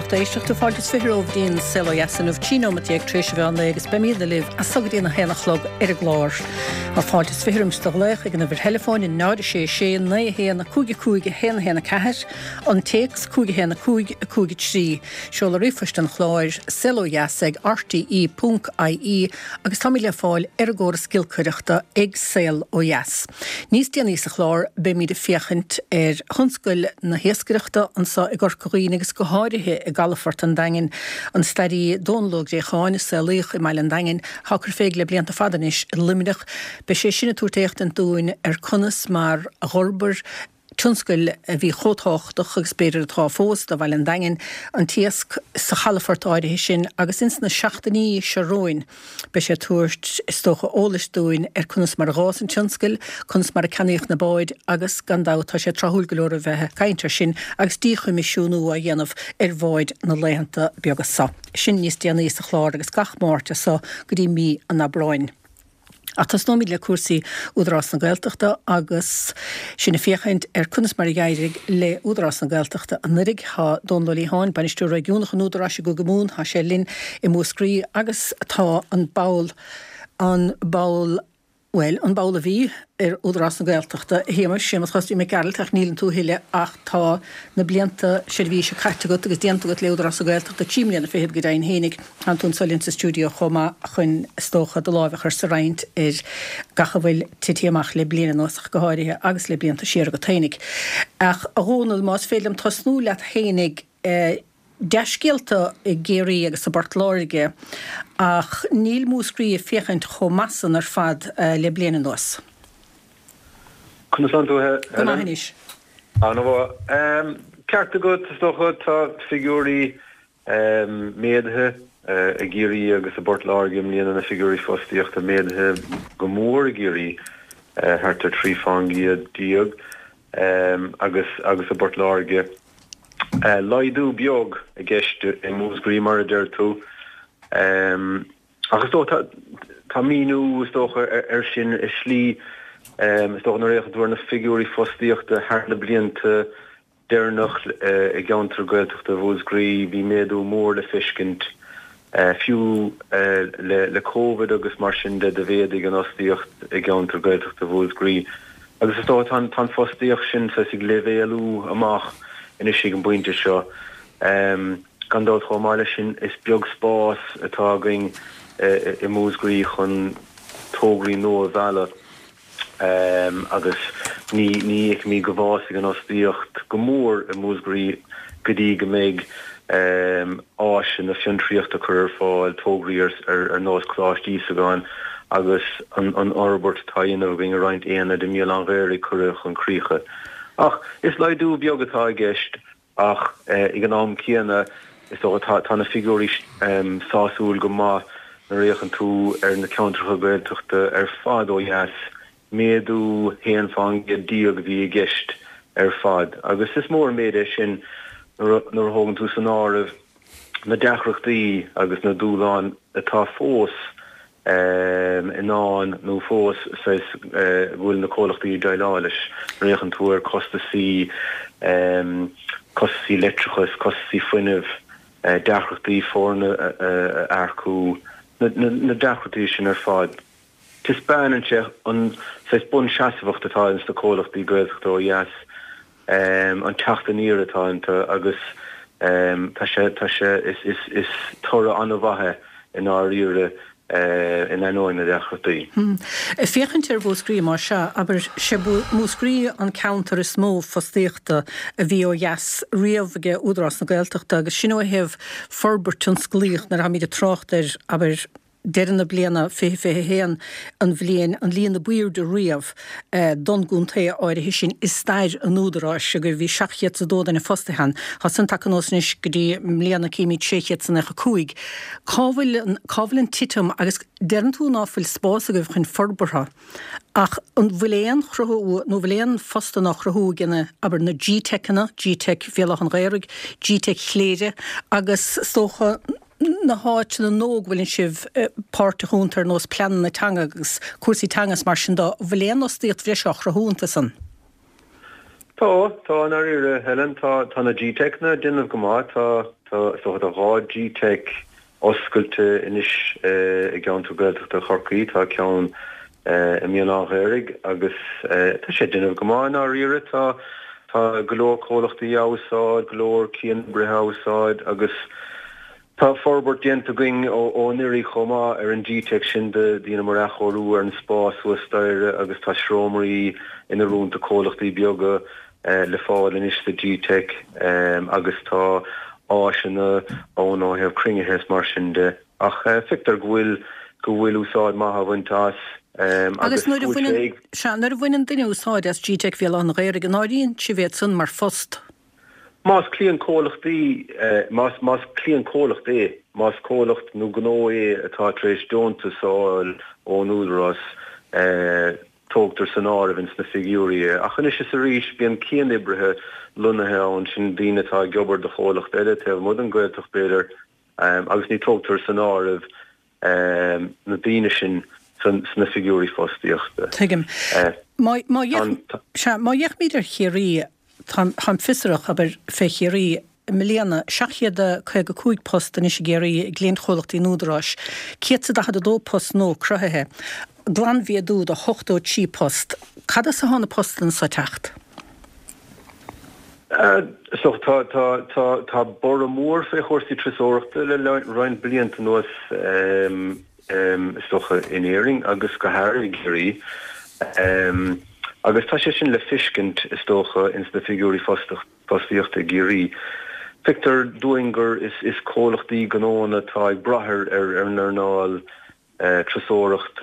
Lucht éisteachta, fáilte is 20 romhaibh go dtí an Saol Ó Dheas inniu, 13 nóimeat tar éis an mheán lae agus beimidne libh as so go dtí an 1 a chlog ar an gclár. Tá fáilte is 20 roimis do ghlaoch ag an uimhir theileafóin 0 6 6 9 1 5 5 1 1 4, an téacs 5 1 5 5 3, seoladh ríomhphoist an chláir, saolodheas ag rte ponc ie agus táimid le fáil ar an gcóras giolcaireachta ag Saol Ó Dheas. Níos déanaí sa chlár beimid ag féachaint ar thionscail na hiascaireachta anso i gCorca Dhuibhne agus go háirithe i gcalafort an Daingin. An stairí Dónal Ó Gréacháin, a saolaíodh i mbaile an Daingin, atá ag cur fé le blianta fada anois i Luimneach, beidh sé sin ag tabhairt éachtaint dúinn ar conas mar a dh'fhorbair tionscail a bhí chomh tábhachtach, agus b'fhéidir atá fós, do bhaile an Daingin, an t-iasc sa chalafort áirithe sin agus ins na seachtainí seo romhainn beidh sé ag tabhairt, is dócha, eolais dúinn ar conas mar a dh'fhás an tionscal, conas mar a ceannaíodh na báid agus, gan dabht, tá sé tráthúil go leor a bheith ag caint air sin agus díchoimisiúnú á dhéanamh ar bháid na laethanta beaga seo. Sin níos déanaí sa chlár agus gach Máirt as so go dtí mí an Aibreáin. Ach tosnóimid le cúrsaí Údarás na Gaeltachta agus sinn ag féachaint ar conas mar a d'éirigh le Údarás na Gaeltachta anuraidh. Tá Dónal Ó Liatháin, Bainisteoir Réigiúnach an Údaráis i gCúige Mumhan, tá sé linn i Múscraí agus tá an ball, an ball, bhuel, an ball a bhí ar Údarás na Gaeltachta, a Shéamais, Séamus Chosty Mac Gearailt, ach níleann tú a thuilleadh ach tá na blianta seirbhíse caite agat agus déanta agat le Údarás na Gaeltachta, 3 mbliana fichead go deimhin fhéinig. Tánn tú anso linn sa stiúideo chomh maith chun, is dócha, do láimh a chur sa roinnt ar gach a bhfuil tití amach le bliain anuas ach go háirithe agus le blianta siar agat fhéinig. Ach, a Dhónaill, más féidir liom tosnú leat fhéinig, dea-scéalta i gCiarraí agus i bPort Láirge ach níl Múscraí ag féachaint chomh maith san ar fad le bliain anuas. Conas tánn tú, a Helen? Go maith anois. Ana-mhaith. Ceart agat, is dócha, tá figiúirí Méadaithe i gCiarraí agus i bPort Láirge i mbliana, na figiúirí fostaíochta méadaithe go mór i gCiarraí, thart ar 13 fán gcéad, agus agus i bPort Láirge. Laghdú beag i gceist i Múscraí, mar a deir tú. Ach is dócha, tá míniú, is dócha, air sin i slí, is dócha, nuair a fhéachann tú ar na figiúirí fostaíochta thar na blianta, deireanach i gceantar Gaeltachta Mhúscraí, bhí méadú mór le feiscint. Fiú le Covid agus mar sin de, do mhéadaigh an fhostaíocht i gceantar Gaeltachta Mhúscraí. Agus is dócha tá an fostaíocht sin saghas ag leibhéalú amach anois ag an bpointe seo. Gan dabht chomh maith leis sin, is beag spás atá againn i Múscraí chun tograí nua a mhealladh. agus ní fheicimid go bhfásfaidh an fhostaíocht go mór i Múscraí go dtí go mbeidh áiseanna fiontraíochta curtha ar fáil, tograí ar nós Coláiste Íosagáin agus an fhorbairt atá á dhéanamh againn i roinnt aonaid i mBéal Átha'n Ghaorthaidh curtha chun críche. Ach is laghdú beag atá i gceist. Ach ag an am céanna, is dócha, tá na figiúirí sásúil go maith nuair a fhéachann tú ar na ceantracha Gaeltachta ar fad ó dheas, méadú 11 fán gcéad a bhí i gceist ar fad. Agus is mór an méid é sin nuair a thógann tú san áireamh na deacrachtaí agus na dúshláin atá fós i ndán nó fós saghas go bhfuil na comhlachtaí ag déileáil leis. Nuair a fhéachann tú ar costasaí, costasaí leictreachais, costasaí fuinnimh, deacrachtaí foirne a earcú, na deacrachtaí sin ar fad, taispeánann sé an saghas bunseasmhacht atá ins na comhlachtaí Gaeltachta ó dheas. an teacht aniar atá iontu agus tá sé, tá sé, is, is, is toradh an-mhaith é i ndáiríre in ainneoin na deacrachtaí. Ag féachaint ar Mhúscraí, más ea, abair, sé Múscraí an ceantar is mó fostaíochta a bhí ó dheas riamh ag Údarás na Gaeltachta agus sin ó thaobh forbairt tionsclaíoch nuair atáimid ag trácht ar, abair, deireadh na bliana 2021 an bhliain an líon a b'aoirde riamh don gcontae áirithe sin i stair an Údaráis agus bhí 702 duine fostaithe ann. Tá san tagtha anuas anois go dtí i mbliana címid 695. Cá bhfuil an, cá bhfuil an titim agus deireann tú ná fuil spás agaibh chun forbartha ach an bhfuil aon chruthú nó bhfuil aon phostanna á chruthú ag na, abair, na GTeiceanna, GTeic Bhéal Átha an Ghaorthaidh, GTeic Chléire agus is dócha na háiteanna nua go bhfuileann sibh páirteach iontu ar nós pleananna teanga agus cúrsaí teanga is mar sin de, an bhfuil aon fhostaíocht bhreise á chruthú iontu san? Tá, tá, i ndáiríre, Helen, tá, tá na GTeiceanna ag déanamh go maith, tá, tá, is dócha, tá 2 GTeic oscailte anois i gceantar Gaeltachta Chorcaí, tá ceann i mBéal Átha an Ghaorthaidh agus tá sé ag déanamh go maith i ndáiríre, tá, tá go leor comhlachtaí á úsáid, go leor cianoibrithe á úsáid agus Tá forbairt déanta againn ó anuraidh chomh maith ar an GTeic sin, dheineamar athchóiriú ar an spás thuas staighre agus tá seomraí in oiriúint do comhlachtaí beaga le fáil anois sa GTeic agus tá áiseanna ann ó thaobh cruinnithe is mar sin de. Ach feictear go bhfuil go bhfuil úsáid maith á bhaint as agus Agus nuair a bhaineann, sea, nuair a bhaineann duine úsáid as GTeic Bhéal Átha an Ghaorthaidh, an áiríonn sibh iad san mar phost? Más cliantchomhlachtaí, más, más cliantchomhlacht é, más comhlacht nó gnó é atá tar éis deontas a fháil ón Údarás, tógtar san áireamh ins na figiúirí é. Ach anois is arís, bíonn cianoibrithe lonnaithe ann, sin daoine atá ag obair do chomhlacht eile taobh amuigh den Ghaeltacht b'fhéidir, agus ní tógtar san áireamh na daoine sin sna figiúirí fostaíochta. Tuigim. Má, má sea, má fhéachaimid ar Chiarraí, táim, táim fiosrach, abair, fé Chiarraí, i mbliana, 755 post anois i gCiarraí i gcliantchomhlachtaí an Údaráis, 142 post nua cruthaithe, glanmhéadú de 83 post. Cad as atá na postanna so ag teacht? Is dócha, tá, tá, tá, tá borradh mór fé chúrsaí turasóireachta le roinnt blianta anuas, is dócha, in Éirinn agus go háirithe i gCiarraí. Agus tá sé sin le feiscint, is dócha, ins na figiúirí fostaíochta i gCiarraí. Feictear dúinn gur is, is comhlachtaí gnóanna atá ag brath ar, ar, ar an earnáil turasóireacht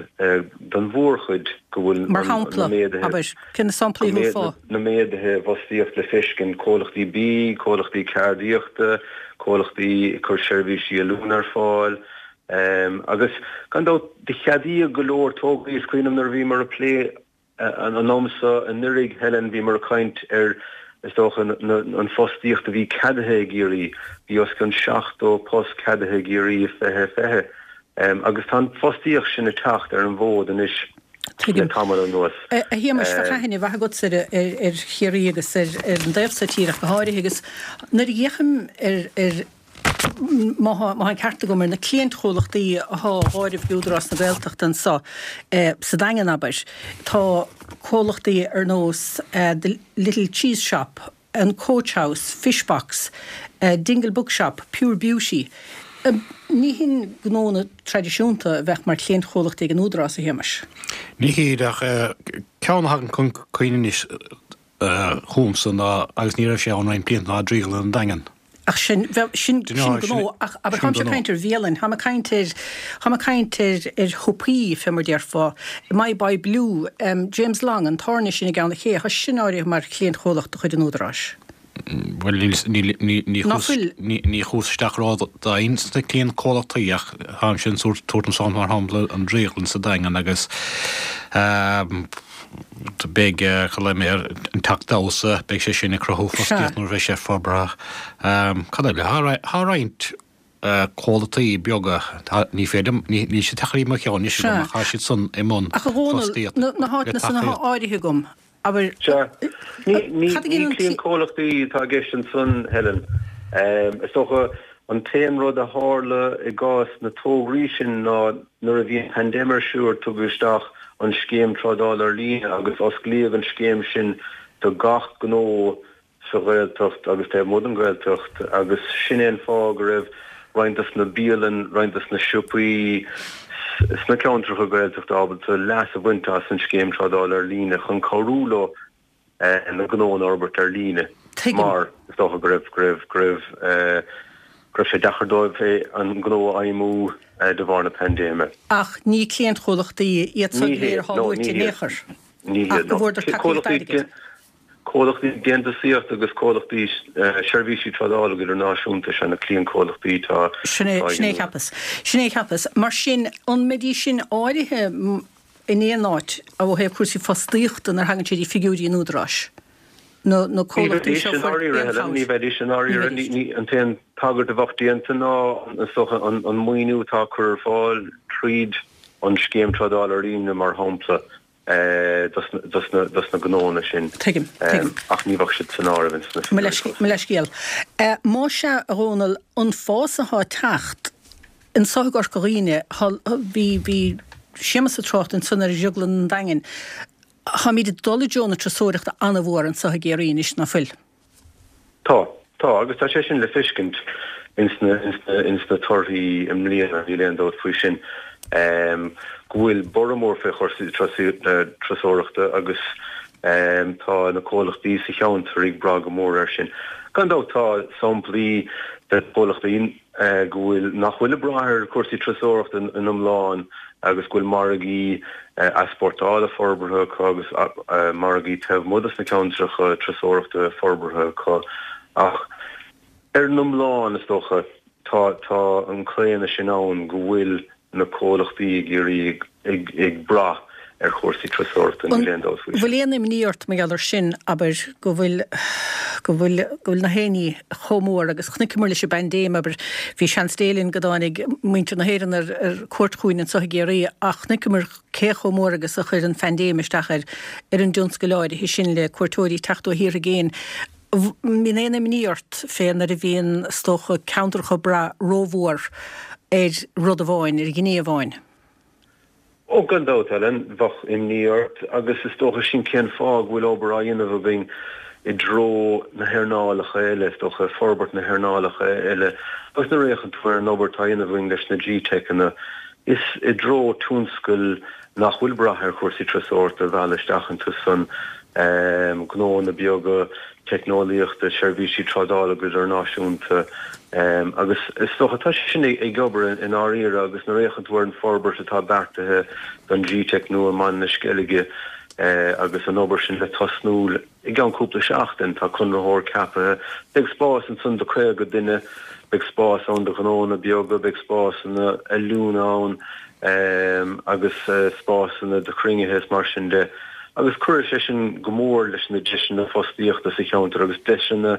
don mhórchuid, go bhfuil Mar shampla, abair, cé na samplaí a thabharfá? na méaduithe i bhfostaíocht le feiscint, comhlachtaí bídh, comhlachtaí ceardaíochta, comhlachtaí ag cur seirbhísí oiliúna ar fáil, agus gan dabht do cheadaíodh go leor tograí, is cuimhin liom nuair a bhíomar ag plé An am so anuraidh, Helen, bhíomar ag caint ar, is dócha, an fostaíocht a bhí ceadaithe i gCiarraí. Bhí os cionn 70 post ceadaithe i gCiarraí i 2020 agus tá an fostaíocht sin ag teacht ar an bhfód anois le tamall anuas. A Shéamais, bheadh aithne mhaith agatsa ar Chiarraí agus ar an dtaobh so tíre ach go háirithe agus nuair a fhéachaim ar má tá an ceart agam, ar na cliaint-chomhlachtaí athá á áireamh ag Údarás na Gaeltachta anso sa Daingean, abair, tá comhlachtaí ar nós The Little Cheese Shop, an Coach House, Fish Box, Dingle Bookshop, Pure Beauty. Ní hin gnónna traidisiúnta a bheadh mar chliaint-chomhlachtaí ag an Údarás, a Shéamais. Ní hiad, ach ceann a thagann chun cuimhne anois, chugamsa ná, agus ní raibh sé ann roinnt blianta, ná Drioglann an Daingin. Ach sin, bheadh, sin, sin gnó, ach abair, táimse ag caint ar bhialann, táim ag caint ar, táim ag caint ar, ar shiopaí, fé mar déarfá, My Boy Blue, James Long, an tábhairne sin i gCeann an Ché, tá sin áirithe mar chliaint-chomhlacht de chuid an Údaráis. Bhuel, níl, níl, ní, ní Ná chuas, fuil? ní, ní chuas isteach ródhoimhin sna cliantchomhlachtaí ach táimse ag tabhairt an sampla mar shampla an Drioglann sa Daingean agus, Beidh, cad mé air, an teach damhsa, beidh sé sin ag cruthú fostaíocht nuair a bheidh sé forbartha. Cad eile? Tá roinnt comhlachtaí beaga, ní féidir liom, níl siad ag teacht i mo cheann anois agam ach tá siad san i mbun fostaíocht. Ach a Dhónaill, na háiteanna san atá áirithe agam, abair, Sea. Ní cliantchomhlachtaí atá i gceist ansan, Helen. Is dócha an t-aon rud a tharla i gcás na tograí sin ná Nuair a bhí an paindéim ar siúl tugadh isteach an scéim trádála ar líne agus osclaíodh an scéim sin do gach gnó sa Ghaeltacht agus taobh amuigh den Ghaeltacht agus sin é an fáth go raibh roinnt dos na bialann, roinnt dos na siopaí sna ceantracha Gaeltachta ábalta leas a bhaint as an scéim trádála ar líne chun cabhrú leo na gnónna a fhorbairt ar líne mar is dócha go raibh, go raibh, go raibh, go raibh sé deacair dóibh an gnó a fheidhmiú de bharr na paindéime. Ach ní cliantchomhlachtaí iad san go léir atá luaite in aon chor. Ní hiad, no. Ach go bhfuaireadar tacaíocht airgid. Comhlachtaí déantúsaíochta agus comhlachtaí seirbhísí trádála go hidirnáisiúnta is ea na cliantchomhlachtaí atá Sin é, sin é a cheapas. Sin é a cheapas. Mar sin, an mbeidís sin áirithe in aon áit ó thaobh cúrsaí fostaíochta nuair a thagann sé dtí figiúirí an Údaráis, na na comhlachtaí seo a fuair aon chabhair. Ní bheidís i ndáiríre, Helen. An t-aon tagairt a bheadh déanta ná, is dócha, an maoiniú atá á cur ar fáil tríd an Scéim Trádála Ar Líne, mar shampla. Dos na gnóanna sin. Tuigim, tuigim. Ach ní bheadh siad san áireamh ins na figiúirí fós. Mo leithscéal. Más ea, a Dhónaill, an fás atá ag teacht anso i gCorca Dhuibhne, bhí, bhí Séamus ag trácht ansan ar Dhrioglann an Daingin, táimid ag dul i dtreo na turasóireachta an-mhór anso i gCiarraí anois, ná fuil? Tá, tá, agus tá sé sin le feiscint ins na, ins na, ins na torthaí i mbliana, níl aon dabht faoi sin, go bhfuil borradh mór fé chúrsaí turasóireachta agus tá na comhlachtaí sa cheantar ag brath go mór air sin. Gan dabht tá samplaí de chomhlachtaí go bhfuil, nach bhfuil ag brath ar chúrsaí turasóireachta in iomlán agus go bhfuil margaí easpórtála forbartha acu agus margaí taobh amuigh dos na ceantracha turasóireachta forbartha acu ach ar an iomlán is dócha tá tá an claonadh sin ann go bhfuil na comhlachtaí i gCiarraí ag brath ar chúrsaí turasóireachta, níl aon dabht faoi sin. Bhfuil aon imní ort mar gheall air sin, abair, go bhfuil, go bhfuil, go bhfuil na haonaí chomh mór agus chonaiceamar leis an bpaindéim, abair, bhí seans Dé linn go dtáinig muintir na hÉireann ar, ar cuairt chugainn anseo i gCiarraí ach chonaiceamar cé chomh mór agus a chuir an phaindéim isteach ar, ar an dtionscal áirithe sin le cuairteoirí teacht ó thíortha i gcéin. Mbíonn aon imní ort fé nuair a bhíonn, is dócha, ceantracha ag brath rómhór ar rud amháin, ar ghné amháin? Ó, gan dabht, Helen, bheadh imní ort agus is dócha sin cén fáth go bhfuil obair á dhéanamh againn i dtreo na hearnálacha eile, is dócha, forbairt na hearnálacha eile. Agus nuair a fhéachann tú ar an obair atá á dhéanamh againn leis na GTeiceanna, is i dtreo tionscail nach bhfuil ag brath ar chúrsaí turasóireachta a mhealladh isteach iontu san, gnóanna beaga, teicneolaíochta, seirbhísí trádála go hidirnáisiúnta agus is dócha tá sé sin ag obair i ndáiríre agus nuair a fhéachann tú ar an forbairt atá beartaithe don GTeic nua i mBaile na Sceilge agus an obair sin le tosnú I gceann cúpla seachtain, tá conraitheoir ceaptha. Beidh spás ansan do 50 duine, beidh spás ann do ghnóanna beaga, beidh spásanna oiliúna ann agus spásanna do chruinnithe is mar sin de. Agus cuirfidh sé sin go mór leis na deiseanna fostaíochta sa cheantar agus deiseanna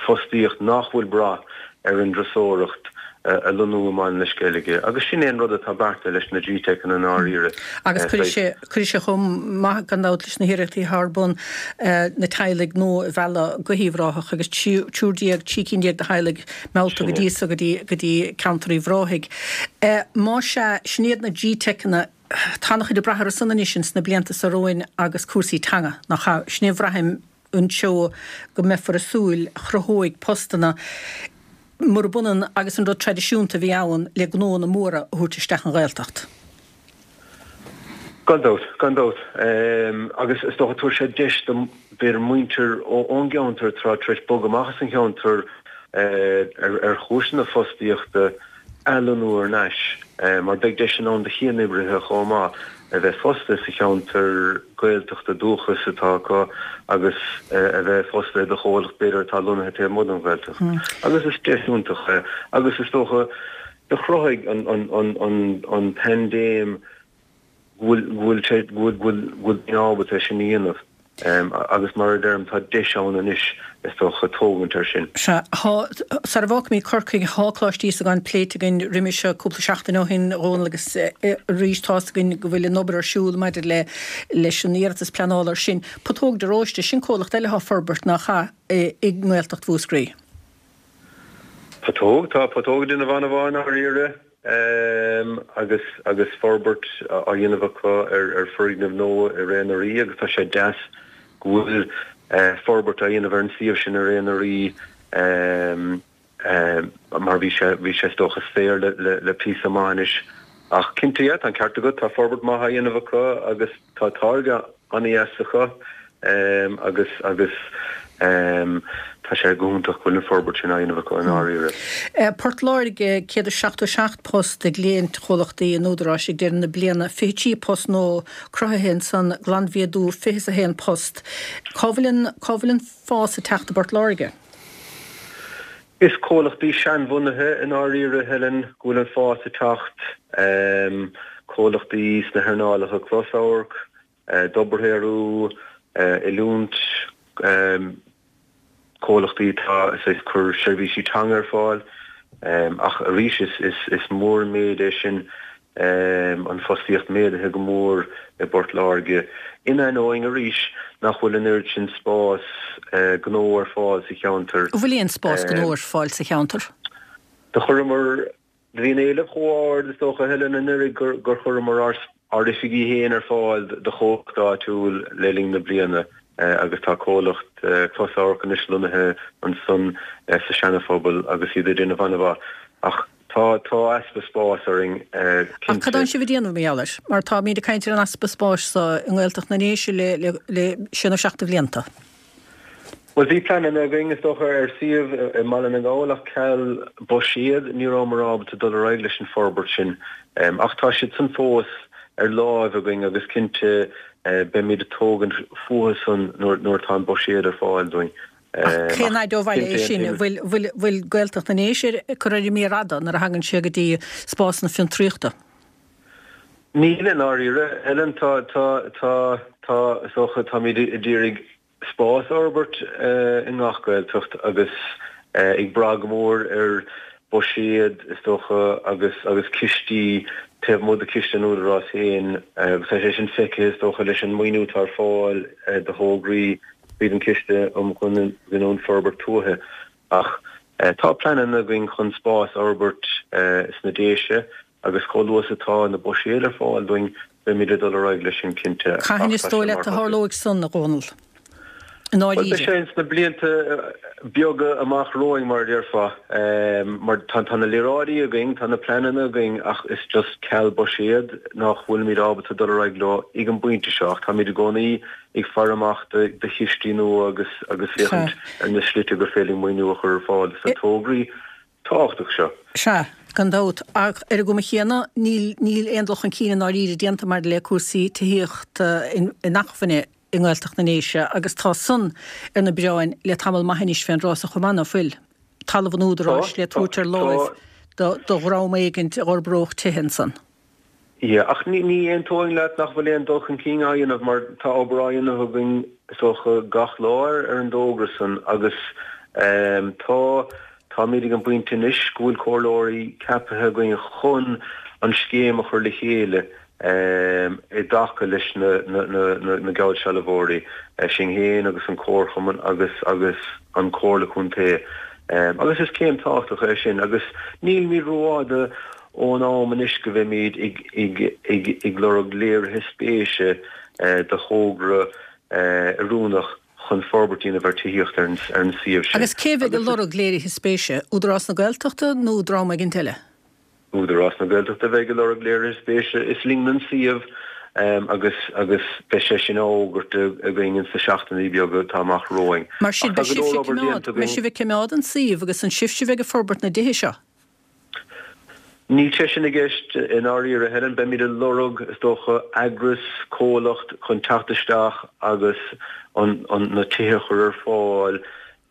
fostaíocht nach bhfuil brath ar an dturasóireacht a lonnú i mBaile na Sceilge. Agus sin é an rud atá beartaithe leis na GTeiceanna i ndáiríre. Agus cuirfidh sé, cuirfidh sé chomh maith gan dabht leis na hiarrachtaí atá ar bun na teaghlaigh nua a mhealladh go hUíbh Ráthach agus triúr déag, 13 cinn de theaghlaigh meallta go dtí so, go dtí, go dtí ceantar Uíbh Ráthaigh. Más ea, sin iad na GTeiceanna, tá an-chuid ag brath orthu san anois ins na blianta seo romhainn agus cúrsaí teanga, nach ea? Sin é a bhraithim anseo go mbeifear ag súil a chruthóidh postanna, murab ionann agus an rud traidisiúnta a bhí ann le gnóanna móra a thabhairt isteach an Ghaeltacht. Gan dabht, gan dabht. Agus is dócha tabharfaidh sé deis do b'fhéidir muintir ón gceantar atá tar éis bogadh amach as an cheantar ar chúiseanna fostaíochta, athlonnú thar n-ais, mar beidh deiseanna ann do chianoibrithe chomh maith a bheith fostaithe sa cheantar Gaeltachta dúchais atá acu agus a bheith fostaithe do chomhlacht b'fhéidir atá lonnaithe taobh amuigh den Ghaeltacht. Agus is deis iontach é. Agus is dócha, do chruthaigh an paindéim go bhfuil sé, go bhfuil daoine ábalta é sin a dhéanamh agus mar a deirim tá deis ann anois is dócha tógaint air sin. Sea, tá, sara bhfágfaimid Corcaigh, tá Coláiste Íosagáin pléite againn roimhe seo cúpla seachtain ó shin, a Dhónaill, agus arís tá's againn go bhfuil an obair ar siúl maidir le leis an iarratas pleanála ar sin. Putóg de Róiste, sin comhlacht eile atá ag forbairt, nach ea, i nGaeltacht Mhúscraí. Putóg, tá Putóg ag déanamh an-mhaith i ndáiríre agus agus forbairt á dhéanamh acu ar foirgneamh nua i Ré na Rí agus tá sé deas go bhfuil forbairt á dhéanamh ar an suíomh sin i Ré na Rí mar bhí sé bhí sé is dócha saor le le píosa maith anois. Ach cinnte, yeah, tá an ceart agat, tá forbairt maith á dhéanamh acu agus tá táirge an-dheas acu agus agus tá sé go hiontach go bhfuil an forbairt sin á dhéanamh acu i ndáiríre. Port Láirge, 177 post i gcliantchomhlachtaí an Údaráis ag deireadh na bliana, 23 post nua cruthaithe ansan, glanmhéadú 21 post. Cá bhfuil an, cá bhfuil an fás ag teacht i bPort Láirge? Is comhlachtaí seanbhunaithe i ndáiríre, Helen, go bhfuil an fás ag teacht, comhlachtaí sna hearnálacha closamhairc, dobharshaothrú, oiliúint, comhlachtaí atá ag cur seirbhísí teanga ar fáil. Ach arís, is mór an méid é sin. An fostaíocht méadaithe go mór i bPort Láirge, in ainneoin arís nach bhfuil an oiread sin spás gnó ar fáil sa cheantar. An bhfuil aon spás gnó ar fáil sa cheantar? Do chuireamar, do bhí an éileamh chomh ard is dócha Helen anuraidh gur chuireamar ár oifigí féin ar fáil do chomhlacht áitiúil le linn na bliana agus tá comhlacht closamhairc anois lonnaithe ansan sa Seana-Phobal agus iad ag déanamh an-mhaith. Ach Tá, tá easpa spáis orainn, cinnte. Ach cad tánn sibh ag déanamh mar gheall air? Mar táimíd ag caint ar an easpa spáis so i nGaeltacht na nDéise le, le, le sé nó seacht de bhlianta. Bhuel, bhí pleananna againn, is dócha, ar suíomh i mBaile na nGall ach ceal buiséad, ní rabhamar ábalta dul ar aghaidh leis an forbairt sin. Ach tá siad san fós ar láimh againn agus cinnte beimid ag tógaint fúthu san nuair, nuair atá an buiséad ar fáil dúinn. Ach cén fhaid ó bhaile é sin? An bhfuil, bhfuil Gaeltacht na nDéise ag cur ar an méar fhada nuair a thagann sé go dtí spásanna fiontraíochta? Níl i ndáiríre, Helen. Tá, tá, tá, tá, is dócha, táimid ag iarraidh spás a fhorbairt i ngach Gaeltacht agus ag brath go mór ar buiséad, is dócha, agus, agus cistí taobh amuigh de chiste an Údaráis féin agus tá sé sin feicthe, is dócha, leis an maoiniú atá ar fáil do thograí tríd an Chiste um Ghiniúint Forbairt Tuaithe. Ach tá pleananna againn chun spás a fhorbairt sna Déise agus chomh luath is atá na buiséid ar fáil dúinn, beimid ag dul ar aghaidh leis sin cinnte. Cathain is dóigh leat a tharlóidh san, a Dhónaill? I ndáiríre. Bhuel, beidh sé ins na blianta beaga amach romhainn, mar a déarfá. Mar tá na léaráidí againn, tá na pleananna againn ach is just ceal buiséad nach bhfuilimid ábalta dul ar aghaidh leo ag an bpointe seo. Ach táimid i gcónaí ag faire amach do chistí nua agus agus féachaint ar na slite gur féidir maoiniú a chur ar fáil dos na tograí tábhachtach seo. Sea, gan dabht. Ach ar an gcuma chéanna, níl níl aon dul chun cinn i ndáiríre déanta maidir le cúrsaí tithíochta inacmhainne i nGaeltacht na nDéise agus tá san ar na bioráin le tamall maith anois fén dtráth so chomh maith, ná fuil? Talamh an Údaráis le tabhairt ar láimh do dhream éigint a dh'fhorbródh tithe ansan. Yeah, ach ní ní aontóinn leat nach bhfuil aon dul chun cinn á dhéanamh mar tá obair á dhéanamh againn is dócha gach lá ar ar an dtógra san agus ehm tá táimid ag an bpointe anois go bhfuil comhairleoirí ceapaithe againn chun an scéim a chur le chéile ehm i dtaca leis na na na na na geallsealbhóirí, sinn féin agus an Comharchumann agus agus an Comhairle Contae ehm agus is céim tábhachtach é sin agus nílimid rófhada ón am anois go mbeimid ag lorg léirithe spéise do thogra oiriúnach chun forbairt a dhéanamh ar tithíocht ar an suíomh sin. Agus cé bheidh ag lorg léirithe spéise? Údarás na Gaeltachta nó dream éigint eile? Údarás na Gaeltachta a bheidh ag lorg léirithe spéise. Is linn an suíomh agus agus beidh sé sin á fhógairt againn ins na seachtainí beaga atá amach romhainn. Mar sin, beidh sibhse ag coimeád an suíomh agus an sibhse a bheidh ag forbairt na dtithe seo? Níl sé sin i gceist i ndáiríre, Helen. Beimid ag lorg, is dócha, eagras, comhlacht chun teacht isteach agus an na tithe a chur ar fáil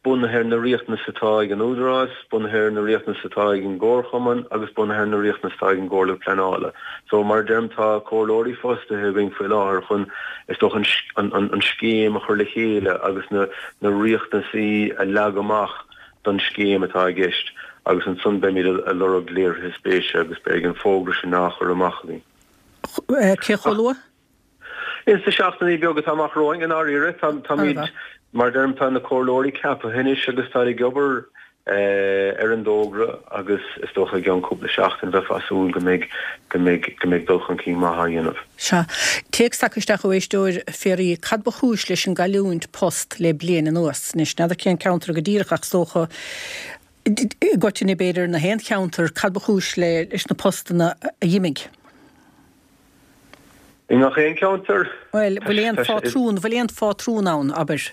bunaithe ar na riachtanais atá ag an Údarás, bunaithe ar na riachtanais atá ag an gComharchumann agus bunaithe ar na riachtanais atá ag an gComhairle Pleanála. So, mar a deirim, tá comhairleoirí fostaithe againn faoi láthair chun, is dócha, an an scéim a chur le chéile agus na na riachtanaisí a leagadh amach don scéim atá i gceist agus ansan beimid ag lorg léirithe spéise agus beidh an fógra sin á chur amach againn. Cé chomh luath? Ins na seachtainí beaga atá amach romhainn, i ndáiríre. Táimid, mar a deirim, tá na comhairleoirí ceaptha anois agus táid ag obair ar an dtógra agus is dócha i gceann cúpla seachtain bheifeá ag súil go mbeidh, go mbeidh, go mbeidh dul chun cinn maith á dhéanamh. Sea. Téacs tagtha isteach ó éisteoir, fiafraí, cad ba chúis leis an gcailliúint post le bliain anuas? Anois, n'fheadar cén ceantar go díreach ach is dócha, i gcoitinne b'fhéidir, na haon cheantar, cad ba chúis leis na postanna a dh'imigh? I ngach aon cheantar? Bhuel, bhfuil aon phátrún, bhfuil aon phátrún ann, abair?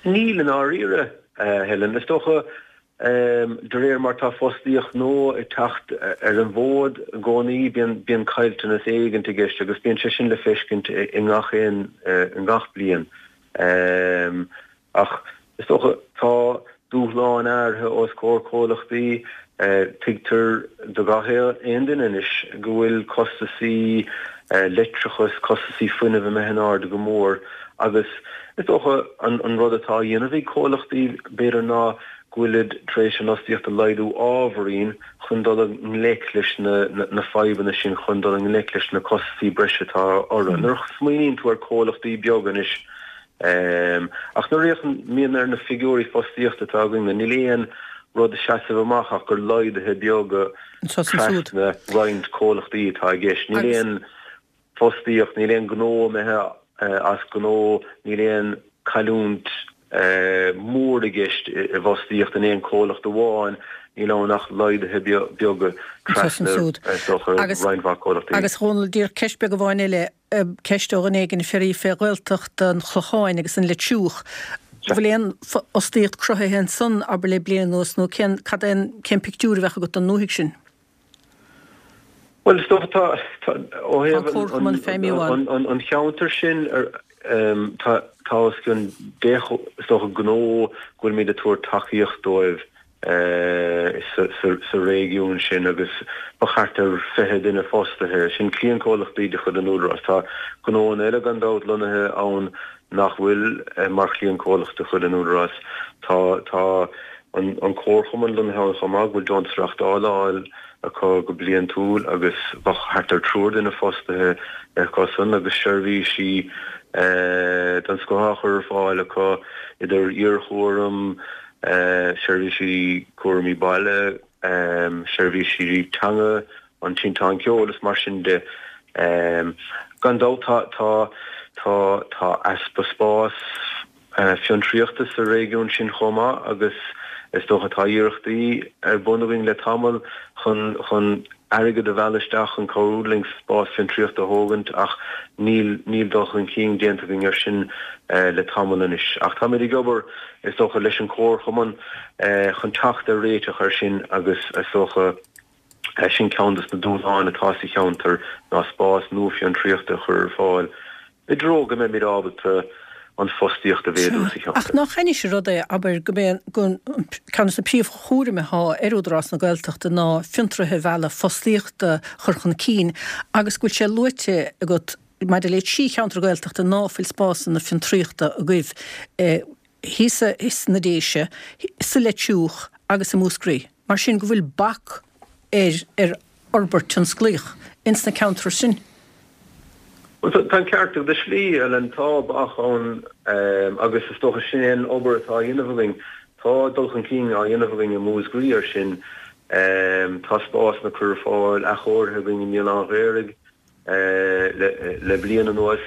Níl i ndáiríre, a Helen. Is dócha, De réir mar tá fostaíocht nua ag teacht ar an bhfód i gcónaí, bíonn caillteanas éigint i gceist agus bíonn sé sin le feiscint i ngach aon, i ngach bliain. Ach is dócha, tá dúshláin áirithe os comhair comhlachtaí. Tuigtear do gach aon duine anois go bhfuil costasaí leictreachais, costasaí fuinnimh imithe in airde go mór agus is dócha an rud atá á dhéanamh ag comhlachtaí b'fhéidir ná. go bhfuilid tar éis an fhostaíocht a laghdú ábhairín chun dul i ngleic leis na fadhbanna sin, chun dul i ngleic leis na costasaí breise atá orthu. Nuair a smaoiníonn tú ar comhlachtaí beaga anois, ach nuair a fhéachann ar na figiúirí fostaíochta atá againn, níl aon rud ag seasamh amach ach gur laghduithe beaga trasna roinnt comhlachtaí atá i gceist. Níl aon fostaíocht, níl aon gnó imithe as gnó, níl aon cailliúint mór i gceist i bhfostaíocht in aon comhlacht amháin, níl ann ach laghduithe beaga trasna, is dócha, roinnt mhaith comhlachtaí. Agus, a Dhónaill, díreach ceist beag amháin eile, ceist ó dhuine éigin ag fiafraí fé Ghaeltacht an Chlocháin agus an Leitriúch. An bhfuil aon fhostaíocht cruthaithe ansan, abair, le bliain anuas nó cén, cad é an, cén pictiúr a bheadh agat don ndúthaigh sin? Bhuel, is dócha tá, tá, ó thaobh an, an, an cheantair sin, tá, tá os cionn 10, is dócha, gnó go bhfuilimid ag tabhairt tacaíocht dóibh sa, sa, sa réigiún sin agus ba thart ar 20 duine fostaithe. Sin cliantchomhlachtaí de chuid an Údaráis. Tá gnóanna eile gan dabht lonnaithe ann nach bhfuil mar chliantchomhlacht de chuid an Údaráis. Tá, tá an Comharchumann lonnaithe ann chomh maith, go bhfuil deontas reáchtála á fháil acu go bliantúil agus bheadh thart ar triúr duine fostaithe acusan agus seirbhísí den scoth á chur ar fáil acu idir iarchúram, seirbhísí cúraimí baile, seirbhísí teanga, an Tinteán Ceoil is mar sin de. Gan dabht tá, tá, tá, tá easpa spás fiontraíochta sa réigiún sin chomh maith agus is dócha tá iarrachtaí ar bun againn le tamall chun chun airgead a mhealladh isteach chun cabhrú linn spás fiontraíochta a thógaint ach níl níl dul chun cinn déanta againn ar sin le tamall anois. Ach táimid ag obair is dócha leis an Chomharchumann chun teacht ar réiteach ar sin agus is dócha Sin ceann de na dúshláin atá sa cheantar ná spás nua fiontraíochta a chur ar fáil i dtreo go mbeimid ábalta an fostaíocht a mhéadú sa cheantar. Ach nach ainnis an rud é, abair, go mbeidh ceann de na príomhchúraimí atá ar Údarás na Gaeltachta ná fiontraithe a mhealladh, fostaíocht a chur chun cinn agus go bhfuil sé luaite agat maidir le trí cheantar Gaeltachta ná fuil spásanna fiontraíochta agaibh thíos sna Déise, sa Leitriúch agus i Múscraí. Mar sin go bhfuil bac ar ar fhorbairt tionsclaíoch ins na ceantrair sin. Bhuel, tá an ceart agat i slí, Ellen, tá bac ann agus is dócha sin é an obair atá á dhéanamh againn. Tá dul chun cinn á dhéanamh againn i Múscraí ar sin. Tá spásanna curtha ar fáil, athchóirithe againn i mBéal Átha an Ghaorthaidh. Le bliain anuas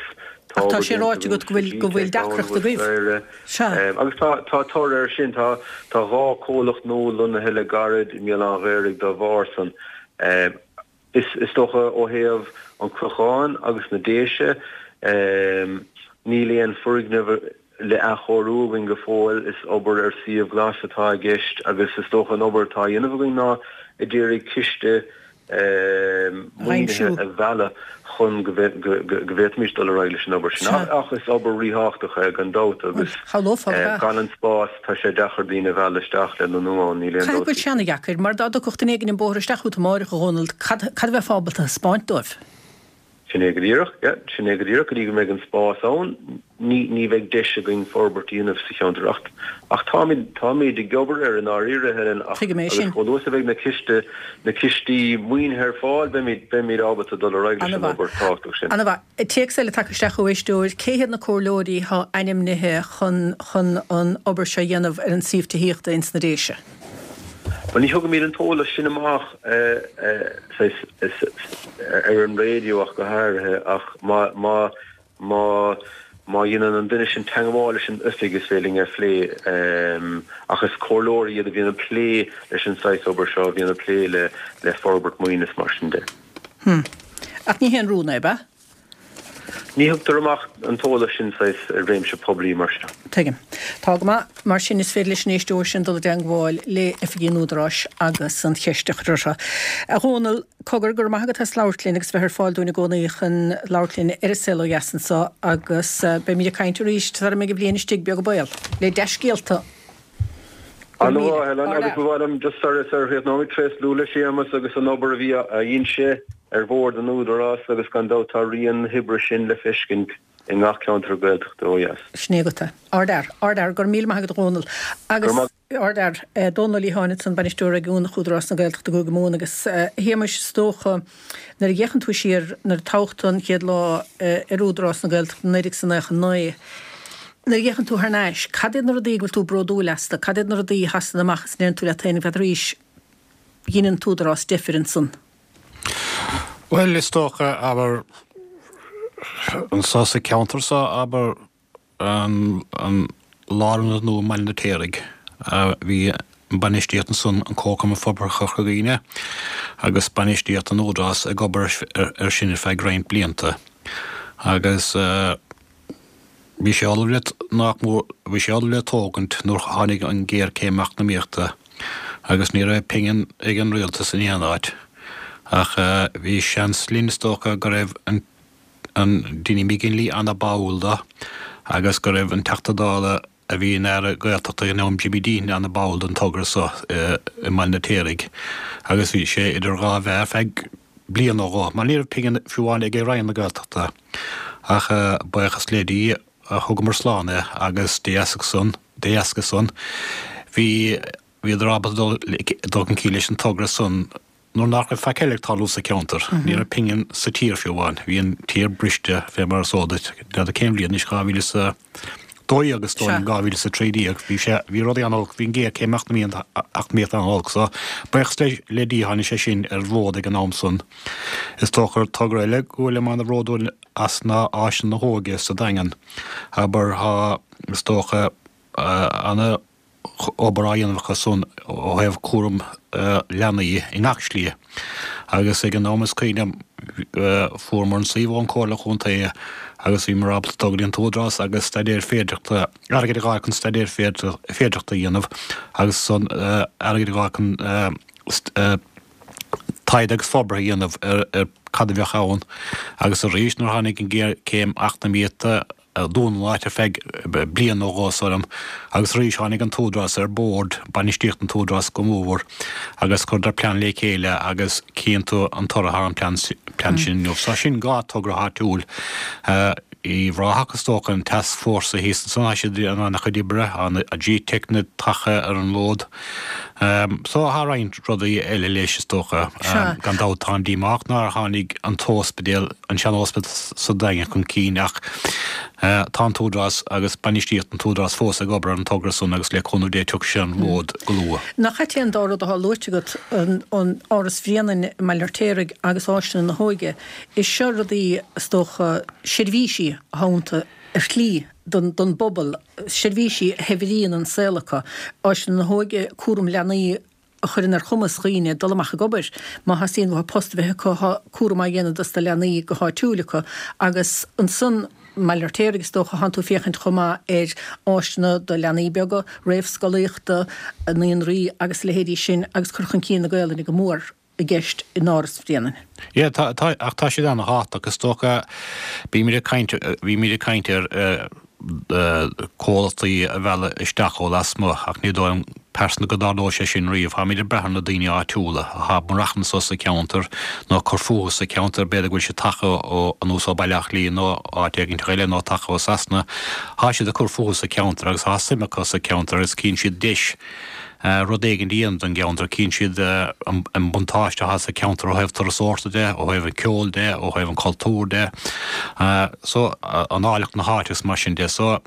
tá Ach tá sé ráite agat go bhfuil go bhfuil deacracht agaibh. Sea. Agus tá tá toradh air sin. Tá tá 2 comhlacht nua lonnaithe le gairid i mBéal Átha an Ghaorthaidh dá bharr san. Is is dócha ó thaobh an Chlocháin agus na Déise níl aon foirgneamh le athchóiriú againn go fóill. Is obair ar suíomh glas atá i gceist agus is dócha an obair atá á dhéanamh againn ná ag iarraidh ciste maoinithe a mhealladh chun go bhféadfaimis dul ar aghaidh leis an obair sin. Ach is obair ríthábhachtach é gan dabht agus gan an spás tá sé deacair daoine a mhealladh isteach le lonnú ann, níl aon dabht. Caithfidh go bhfuil sé ana-dheacair, mar dá dtugfadh duine éigin an bóthar isteach chút amáireach, a Dhónaill, cad a bheifeá ábalta a thaispeáint dóibh? Sin é go díreach, yeah, sin é go díreach, go dtí go mbeidh an spás ann, ní, ní bheidh deis againn forbairt a dhéanamh sa cheantar ach, ach táimid, táimid ag obair air i ndáiríre, Helen, ach, Tuigim é agus sin. chomh luath is a bheidh na ciste, na cistí maoinithe ar fáil, beimid, beimid ábalta dul ar aghaidh leis an obair thábhachtach sin. Ana-mhaith. Téacs eile tagtha isteach ó éisteoir, cé hiad na comhairleoirí atá ainmnithe chun, chun an obair seo a dhéanamh ar an suíomh tithíochta ins na Déise? Bhuel, ní thugaimid an t-eolas sin amach ar an raidió ach go háirithe, ach má, má, má, má dhéanann an duine sin teagmháil leis an oifig is féidir linn é a phlé. Ach is comhairleoirí iad a bhíonn ag plé leis an saghas obair seo, a bhíonn ag plé le, le forbairt maoine is mar sin de. Hm. Ach ní haon rún é, ab ea? Ní thugtar amach an t-eolas sin saghas i réimse poiblí mar seo. Tuigim. Tá go maith. Mar sin is féidir leis an éisteoir sin dul i dteangmháil le oifigí an Údaráis agus an cheist a chur orthu. A Dhónaill, cogar, go raibh maith agat as labhairt linn agus bheith ar fáil dúinn i gcónaí chun labhairt linn ar An Saol Ó Dheas anseo agus beimid ag caint arís sara mbeidh an bhliain istigh, beag an baol, le dea-scéalta. An-mhaith, Helen, agus ba mhaith liom just sar a chríochnóimid, tréaslú le Séamus agus an obair a bhí a dhein sé ar bhord an Údarás agus gan dabht tá rian na hoibre sin le feiscint i ngach ceantar Gaeltachta ó dheas. Sin é agat é. Ardfhear, ardfhear. Go raibh míle maith agat a Dhónaill. Agus. Ardfhear. Dónal Ó Liatháin ansan, Bainisteoir Réigiúnach Údarás na Gaeltachta i gCúige Mumhan agus a Shéamais is dócha nuair a fhéachann tú siar nuair a toghadh tú an chéad lá ar Údarás na Gaeltachta i 1999, nuair a fhéachann tú thar n-ais, cad iad na rudaí go bhfuil tú bródúil astu, cad iad na rudaí a sheasann amach is a ndeireann tú leat féin, n'fheadar arís, dhein an tÚdarás deifir ansan? Bhuel, is dócha, abair, anso sa cheantar so, abair, an lárionad nua i mBaile an Fheirtéaraigh. Bhí an bainistíocht ansan, an Comharchumann Forbartha Chorca Dhuibhne agus bainistíocht an Údarás ag obair ar sin ar feadh roinnt blianta agus bhí sé ullamh le, nach mór, bhí sé ullamh le tógaint nuair tháinig an ghéarchéim eacnamaíochta agus ní raibh pingin ag an rialtas in aon áit ach bhí seans linn is dócha go raibh an an Dinny McGinley ana-báúil dó agus go raibh an Teachta Dála a bhí ina Aire Gaeltachta ag an am, Jimmy Deenihan, ana-báúil don togra so i mBaile an Fheirtéaraigh agus bhí sé idir dhá mheá ar feadh bliain nó dhó mar ní raibh pingin fiú amháin ag Roinn na Gaeltachta ach buíochas le Dia thugamar slán é agus de dheasca san, de dheasca san bhí, bhíodar ábalta dul, dul chun cinn leis an togra san. Nuair nach raibh faic eile ag tarlú sa cheantar, ní raibh pingin sa tír fiú amháin, bhí an tír briste fé mar is eol duit, n'fheadar cén bhliain anois, 2012 is dóigh liom, 2013, bhí sé, bhí rudaí an-olc, bhí an ghéarchéim eacnamaíochta an-olc, so buíochas le, le Dia tháinig sé sin ar an bhfód ag an am san. Is dócha togra eile go bhfuilim an-bhródúil as ná Áiseanna na hÓige sa Daingean, abair, tá, is dócha, ana, obair á dhéanamh acu san ó thaobh cúram leanaí i ngach slí agus ag an am is cuimhin liom fuaireamar an suíomh ón Comhairle Chontae agus bhíomar ábalta dul go dtí an tÚdarás agus staidéar féidearthachta, airgead a dh'fháil chun staidéar féidearthachta a dhéanamh agus ansan airgead a dh'fháil chun taighde agus forbartha a dhéanamh ar cad a bheadh ann agus arís nuair a tháinig an ghéarchéim eacnamaíochta dúnadh an áit ar feadh bliain nó dhó is dóigh liom agus arís tháinig an tÚdarás ar bord, bainistíocht an tÚdarás go mór agus chuireadar plean le chéile agus cíonn tú an toradh ar an plean sin inniu. So sin dhá togra áitiúil. Uíbh Ráthach is dócha, an tascfhórsa thíos ansan, tá siad in an-chuid oibre, tá G-Tech tagtha ar an bhfód. So tá roinnt rudaí eile leis is dócha. Gan dabht táim díomách nár tháinig an t-ospidéal, an sean-ospidéal sa Daingean chun cinn ach tá an tÚdarás agus bainistíocht an tÚdarás fós ag obair ar an togra san agus le cúnamh Dé tiocfaidh sé ar an bhfód go luath. Nach ait é an dá rud atá luaite agat, an Áras Bhréanainn i mBaile an Fheirtéaraigh agus Áiseanna na hÓige. Is seo rudaí, is dócha, seirbhísí atá iontu ar shlí don bpobal, seirbhísí a shaibhríonn an saol acu. Áiseanna na hÓige, cúram leanaí a chuireann ar chumas dhaoine dul amach ag obair má theastaíonn uathu post a bheith acu, tá cúram á dhéanamh dos na leanaí go háitiúil acu. Agus ansan, i mBaile an Fheirtéaraigh is dócha, thánn tú ag féachaint chomh maith ar áiseanna do leanaí beaga, réamhscolaíochta, naíonraí agus a leithéidí sin agus cur chun cinn na Gaolainne go mór. i gceist in Áras Bhréanainn. Yeah, tá, tá, ach tá siad ana-thábhachtach. Is dócha, bímid ag caint, bhímid ag caint ar comhlachtaí a mhealladh isteach ó lasmuigh ach ní dóigh liom pearsanta go dtarlóidh sé sin riamh. Táimid ag brath ar na daoine áitiúla atá ag maireachtaint anso sa cheantar nó ag cur fúthu sa cheantar, b'fhéidir go bhfuil siad tagtha ó anuas ó Bhaile Átha Cliath nó áit éigin eile nó tagtha ó Sasana. Tá siad ag cur fúthu sa cheantar agus tá suim acu sa cheantar agus cíonn siad deis rud éigin a dhéanamh don gceantar. Cíonn siad an buntáiste atá sa cheantar ó thaobh turasóireachta de, ó thaobh an ceoil de, ó thaobh an cultúir de, so an áilleacht na háite agus mar sin de. So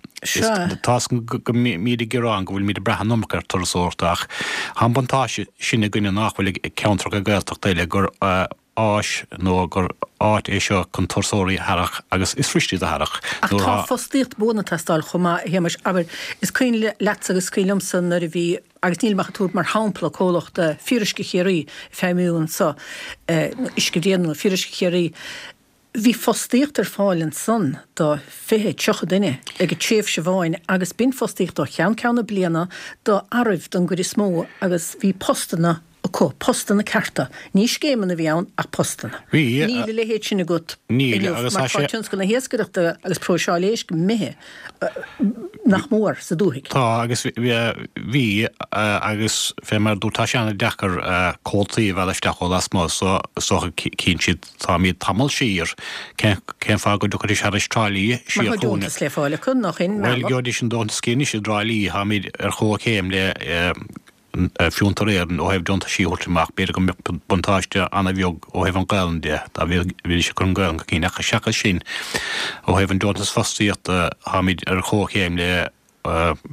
tá 's go mbímid ag gearán go bhfuilimid ag brath an iomarca ar turasóireacht ach tá an buntáiste sin againne nach bhfuil ag ceantracha Gaeltachta eile gur áis nó gur áit é seo chun turasóirí a tharrac agus is fuirist iad a tharrac Ach tá fostaíocht buan ag teastáil chomh maith, a Shéamais. Abair, is cuimhin leatsa agus is cuimhin liomsa nuair a bhí, agus nílim ach ag tabhairt mar shampla, comhlacht Fíoruisce Chiarraí ag feidhmiú anso, Uisce Bhréanainn nó Fíoruisce Chiarraí, bhí fostaíocht ar fáil ansan do 20, 30 duine ag tréimhse amháin agus b'in fostaíocht ó cheann ceann na bliana do fhearaibh don gcuid is mó agus bhí postanna. Acu, postanna cearta. Ní scéimeanna a bhí ann ach postanna. Bhí. Níl a leithéid sin agat inniu mar tá tionscal na hiascaireachta agus próiseáil éisc imithe nach mór sa dúthaigh. Tá agus bhí agus fé mar a dúirt tá sé an-deacair comhaltaí a mhealladh isteach ó lasmuigh so is dócha cíonn siad táimid tamall siar cén fáth go dtiocfaidís thar Trá Lí siar Mar tá deontas le fáil acu nach in Bhuel gheobhaidís an deontas céanna anois i dTrá Lí táimid ar chomhchéim le Fiontar Éireann ó thaobh deontaisí a thabhairt amach, b'fhéidir go mbeadh buntáiste ana-bheag ó thaobh an Ghaelainn de, dá bhídís ag cur an Ghaelainn chun cinn, ach seachas sin, ó thaobh an deontas fostaíochta, táimid ar chomhchéim le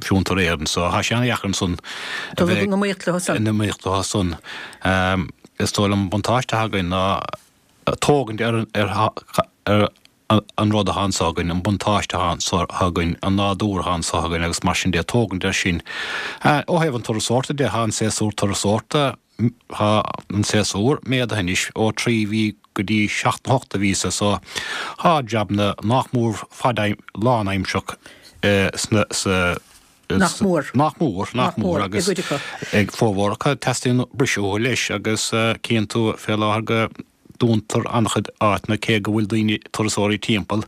Fiontar Éireann, so tá sé ana-dheacair ansan a bheith in iomaíocht leo san. In iomaíocht leo san. Is dóigh liom an buntáiste atá againn ná tógaint ar ar an rud atá anso againn, an buntáiste atá anso againn, an nádúr atá anso againn agus mar sin de, tógaint air sin. Ó thaobh an turasóireachta de, tá an séasúr turasóireachta, tá an séasúr méadaithe anois ó 3 mhí go dtí 7 nó 8 de mhíosa so tá jabanna nách mór fad lánaimseach sna, sa, Nach mór. Nach mór, nach mór agus ag formhór acu teastaíonn briseadh uathu leis agus cíonn tú fé láthair go dúntar an-chuid áiteanna cé go bhfuil daoine, turasóirí timpeall.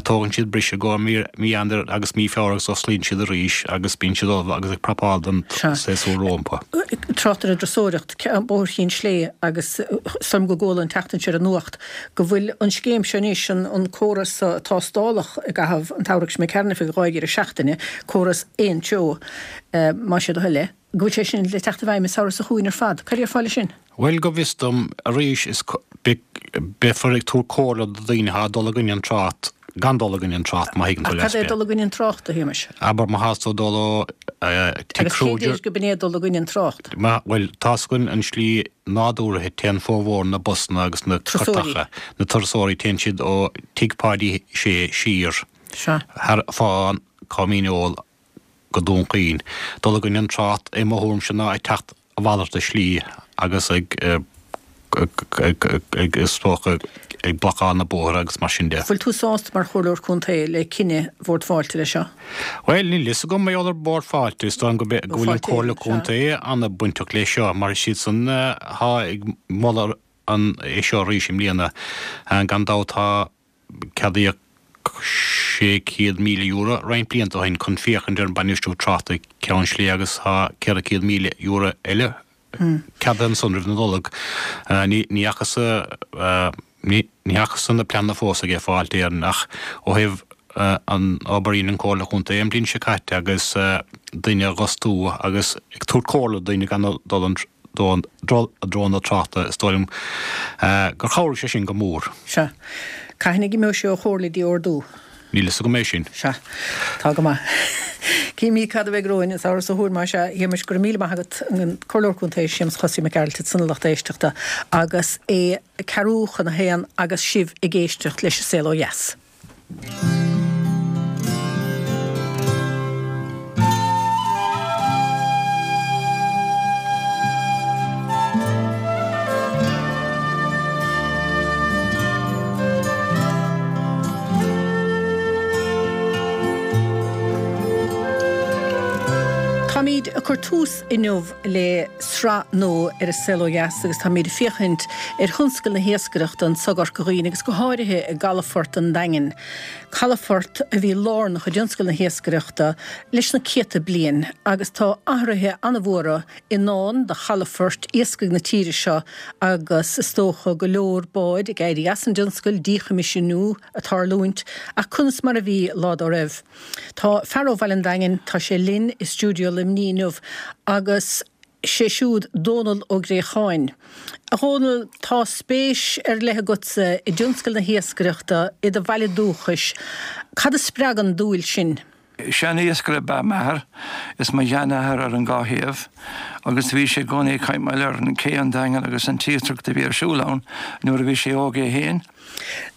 Tógann siad briseadh go mí Eanáir agus mí Feabhra agus osclaíonn siad arís agus bíonn siad ullamh agus ag prapáil don séasúr rompu. Trácht ar an dturasóireacht, Bóthar Chinn Slé agus is dóigh liom go gcuala an tseachtain seo ar an nuacht go bhfuil an scéim seo anois, an córas tástálacha i gcaitheamh an tsamhraidh seo imigh tharainn ar feadh 2 dheireadh seachtaine, córas aon treo, más é do thoil é. go bhfuil sé sin le teacht i bhfeidhm an samhradh seo chugainn ar fad. Cad a déarfá leis sin? Bhuel, go bhfios dom, arís, is beifear ag tabhairt comhairle do dhaoine atá ag dul i gcoinne an trácht gan dul i gcoinne an trácht, má thuigeann tú leat mé. Ach cad é dul i gcoinne an tráchta, a Shéamais? Abair má thás tú ag dul ó Tigh Agus cé deir go b'in é dul i gcoinne an trácht? Bhuel, tá's againn an slí nádúrtha, téann formhór na busanna agus na cairteacha, na turasóirí, téann siad ó Tigh Pháidí Sé siar thar fán Com Fhíneol go Dún Chaoin. Dul i gcoinne an trácht, i mo thuairimse, ná ag teacht a mhalairt de shlí agus ag, ag, is dócha, ag blocáil na bóithre agus mar sin de. Bhfuil tú sásta mar Chomhairleoir Contae le cinneadh Bhord Fáilte leis seo? Bhuel, níl fhios agam mar gheall ar Bhord Fáilte. Is dóigh liom go bhfuil an Comhairle Contae an-bainteach leis seo mar is iadsan atá ag moladh an, é seo arís i mbliana. Gan dabht tá Ceadaíodh €600,000 roinnt blianta ó shin chun féachaint ar an bainistiú tráchta i gCeann Slé agus tá €400,000 eile ceadaithe ansan roimh na Nollag. Ní fhacthas na pleananna fós aige Fáilte Éireann ach ó thaobh an obair a dhein an Comhairle Chontae an bhliain seo caite agus duine a dh'fhostú agus ag tabhairt comhairle do dhaoine gan dul an dul i dtreo na tráchta, is dóigh liom gur chabhraigh sé sin go mór. Sea. Cathain go mbeidh sé ó chomhairle dtí ordú? Níl fhios agam é sin. Sea. Tá go maith. Címid cad a bheidh romhainn an samhradh seo chugainn, más ea. A Shéamais, go raibh míle maith agat, an Comhairleoir Contae Séamus Chosaí Mac Gearailt ansan a lucht éisteachta agus é ceathrú chun a haon agus sibh ag éisteacht leis An Saol Ó Dheas. Táimid ag cur tús inniu le sraith nua ar An Saol Ó Dheas agus táimid ag féachaint ar thionscal na hiascaireachta anso i gCorca Dhuibhne agus go háirithe i gcalafort an Daingin, calafort a bhí lárnach i dtionscal na hiascaireachta leis na céadta bliain agus tá athruithe an-mhóra i ndán do chalafoirt iascaigh na tíre seo agus is dócha go leor báid ag éirí as an dtionscal, díchoimisiúnú ag tarlúint ach conas mar a bhí lá dá raibh? Tá fear ó Bhaile an Daingin, tá sé linn i stiúideo Luimnigh inniu agus sé siúd Dónal Ó Gréacháin. A Dhónaill, tá spéis ar leith agatsa i dtionscal na hiascaireachta i do bhaile dúchais. Cad a spreag an dúil sin? Sean-iascaire ab ea m'athair is mo sheanathair ar an dhá thaobh agus bhí sé i gcónaí ag caint mar gheall ar an cé an Daingean agus an t-iascaireacht a bhí ar siúl ann nuair a bhí sé óg é féin.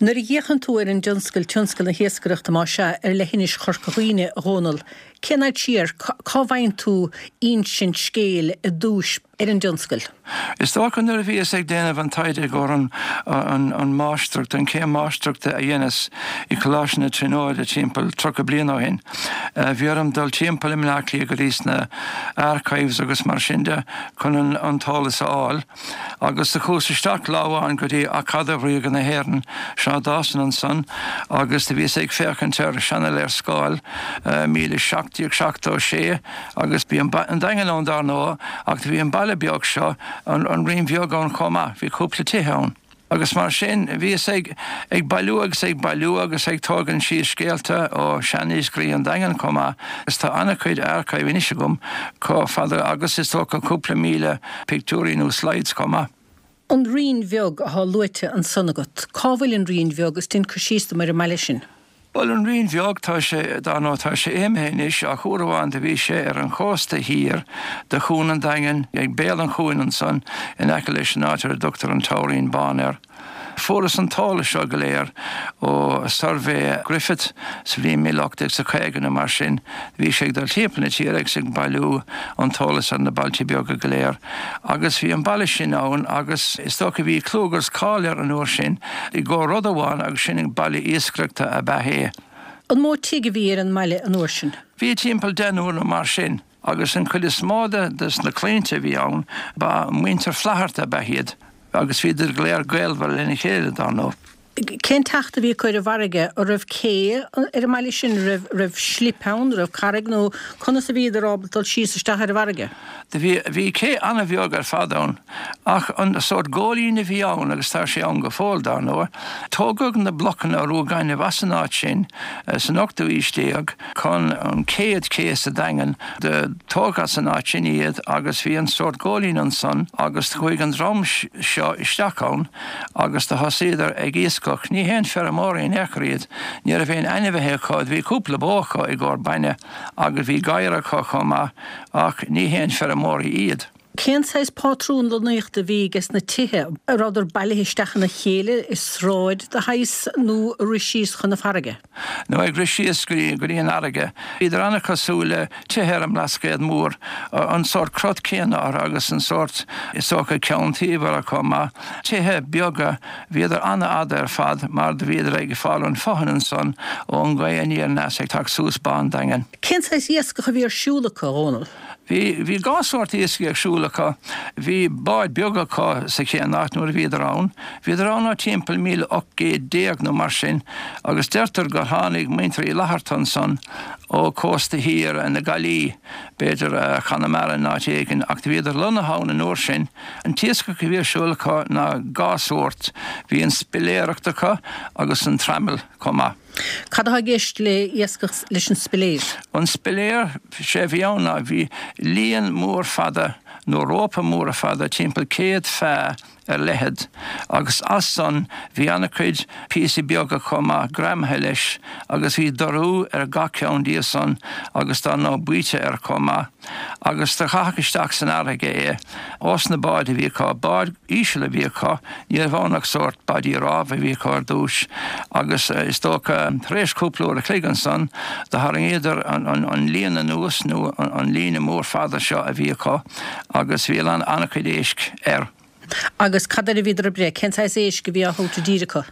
Nuair a fhéachann tú ar an dtionscal, tionscal na hiascaireachta más ea, ar leithinis Chorca Dhuibhne, a Dhónaill, cén fhad siar, cá bhfaigheann tú insint scéil i dtús ar an dtionscal? Is dócha nuair a bhíos ag déanamh an taighde i gcomhair an máistreacht, an chéim máistreachta a dheineas i Coláiste na Tríonóide timpeall 30 bliain ó shin. Bhí orm dul timpeall i mBleá Cliath go dtí sna archives agus mar sin de chun an t-eolas a fháil. Agus do chuas isteach lá amháin go dtí Acadamh Ríoga na hÉireann, Seán Dawson ansan, agus do bhíos ag féachaint ar seana-léarscáil, 1776, agus bhí an Daingean ann dár ndóigh, ach do bhí an baile beag seo, an Rinn Bheag ann chomh maith, bhí cúpla tithe ann. Agus mar sin, bhíos ag ag bailiú agus ag bailiú agus ag tógaint síos scéalta ó sheaniascairí an Daingin chomh maith, agus tá an-chuid archive anois agam chomh fada agus is dócha cúpla 1,000 pictiúirí nó slides chomh maith. An Rinn Bheag athá luaite ansan agat. Cá bhfuil an Rinn Bheag is dein cur síos dom ar an mbaile sin. Bhuel, an Rinn Bheag, tá sé, dar ndóigh, tá sé imithe anois, ach uair amháin do bhí sé ar an chósta thiar de Chuan an Daingin, ag béal an chuain ansan, in aice leis an áit ar a dtugtar an Toirín Bán air. Fuarthas an t-eolas seo go léir ó suirbhé Griffith sa bhliain míle 18 's a 50 nó mar sin. Bhí sé ag dul timpeall na tíre agus ag bailiú an t-eolas ar na bailte beaga go léir. Agus bhí an baile sin ann agus is dócha bhí clú agus cáil air an uair sin i gcomhair rud amháin agus sin baile iascaireachta ab ea é. An mó tigh a bhí ar an mbaile an uair sin? Bhí timpeall deichniúr nó mar sin agus an chuid is mó de na claimhte a bhí ann ba muintir Flatharta ab ea iad agus bhíodar go léir gaolmhar lena chéile dar ndóigh. Cén teacht a bhí acu ar an bhfarraige? An raibh cé ar an mbaile sin? Raibh, raibh slip ann, raibh carraig nó conas a bhíodar ábalta dul síos isteach ar an bhfarraige? Do bhí, bhí cé an-bheag ar fad ann ach an sórt góilín a bhí ann agus tá sé ann go fóill dar ndóigh. Tógadh na blocanna rua gainimh as an áit sin san ochtú aois déag chun an chéad ché sa Daingean. Do tógadh as an áit sin iad agus bhí an sórt góilín ansan agus chuaigh an dream seo isteach ann. agus do thosaíodar ag iascach. Ní haon feirmeoirí in aon chor iad. Ní raibh aon ainmhithe acu. Bhí cúpla bó acu i gcomhair bainne agus bhí gadhair acu chomh maith ach ní haon feirmeoirí iad. Cén saghas pátrún lonnaíochta a bhí ages na tithe? An rabhadar bailithe isteach ina chéile i sráid de shaghas nó ag rith síos chun na farraige? Nó ag rith síos go dtí an fharraige. Bhíodar an-chosúil le tithe ar an mBlascaod Mór, an sórt crot céanna orthu agus an sórt, is dócha, ceann taoibh orthu chomh maith. Tithe beaga, bhíodar an-fhada ar fad mar do bhíodar ag fáil an fothain ansan ón ngaoth aniar aneas ag teacht suas Bá an Daingin. Cén saghas iascach a bhí ar siúl acu, a Dhónaill? Bhí, bhí dhá sórt iascaigh ar siúl acu. Bhí báid beaga acu sa chéad áit nuair a bhíodar ann. Bhíodar ann ó timpeall 1800 nó mar sin agus deirtear gur tháinig muintir Uí Fhlatharta ansan ó cósta thiar na Gaillimhe, b'fhéidir Conamara nó áit éigin, ach do bhíodar lonnaithe ann an uair sin. An t-iascach a bhí ar siúl acu ná dhá sórt, bhí an spiléireacht acu agus an traimil chomh maith. Cad atá i gceist le iascach leis an spiléir? An spiléir, sé a bhí ann ná bhí líon mór fada nó rópa móra fada timpeall 100 feá ar leithead agus as san bhí ana-chuid píosaí beaga chomh maith greamaithe leis agus bhí dorú ar gach ceann díobh san agus dar ndóigh baoite air chomh maith agus do chaithfeadh isteach san fharraige é. Ós na báid a bhí acu, báid íseal a bhí acu, ní raibh ann ach sórt báidí rámha a bhí acu ar dtúis agus is dócha tar éis cúpla uair a chloig ansan do tharraingíodar an líon anuas nó an líne mór fada seo a bhí acu agus bhí an-chuid éisc air. Agus cad air a bhíodar ag breith? Cén saghas éisc a bhí á thabhairt i dtír acu?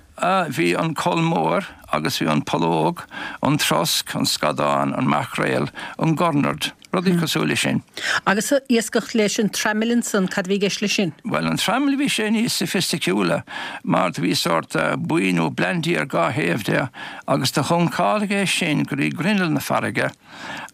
Bhí an coll mór agus bhí an pollóg, an trosc, an scadán, an maicréal, an gurnard, rudaí cosúil leis sin. Agus iascach leis an traimil ansan, cad a bhí i gceist leis sin? Bhuel, an traimil bhí sé níos soifisticiúla mar do bhí sórt baoi nó blandy ar dhá thaobh de agus do shuncálfaí é sin go dtí grinneall na farraige.